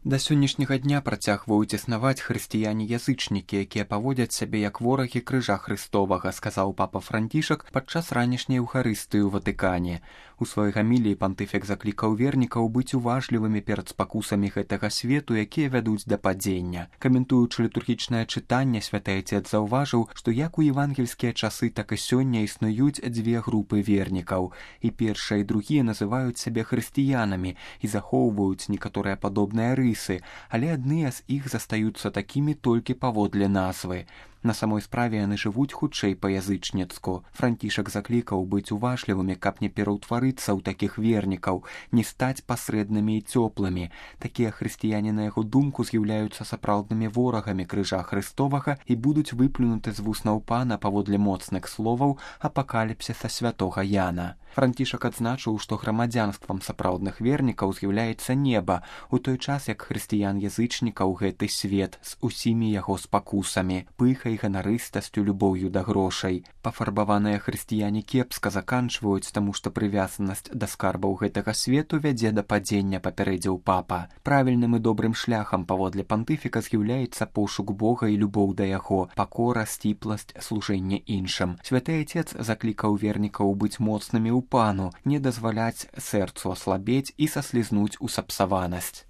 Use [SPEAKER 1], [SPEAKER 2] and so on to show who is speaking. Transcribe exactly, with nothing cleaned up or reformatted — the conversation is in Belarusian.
[SPEAKER 1] Да сённяшняга дня працягваюць існаваць хрысціяне-язычнікі, якія паводзяць сябе як ворагі крыжа Хрыстовага, сказаў папа Францішак падчас ранішняй эўхарыстыі ў Ватыкане. У сваёй гаміліі пантыфік заклікаў вернікаў быць уважлівымі перад спакусамі гэтага свету, якія вядуць да падзення. Каментуючы літургічнае чытанне, святы Отец заўважыў, што як у евангельскія часы, так і сёння існуюць дзве групы вернікаў. І першыя і другія называюць сябе хрысціянамі і захоўваюць некаторыя падобныя рысы, але адныя з іх застаюцца такімі толькі паводле назвы. На самой справе яны жывуць хутчэй па-язычніцку. Францішак заклікаў быць уважлівымі, каб не пераўтварыцца ў такіх вернікаў, не стаць пасрэднымі і цёплымі. Такія хрысціяне, на яго думку, з'яўляюцца сапраўднымі ворагамі крыжа Хрыстовага і будуць выплюнуты з вуснаў пана паводле моцных словаў апакаліпсіса святога Яна. Францішак адзначыў, што грамадзянствам сапраўдных вернікаў з'яўляецца неба, у той час як хрысціян-язычнікаў гэты свет з усімі яго спакусамі, пыхай, ганарыстасцю, любоўю да грошай. Пафарбаваныя хрысціяне кепска заканчваюць, таму што прывязанасць да скарбаў гэтага свету вядзе да падзення, папярэдзіў папа. Правільным і добрым шляхам паводле пантыфіка з'яўляецца пошук Бога і любоў да яго, пакора, сціпласць, служэнне іншым. Святы Отец заклікаў вернікаў быць моцнымі ў пану, не дазваляць сэрцу аслабець і саслізнуць у сапсаванасць.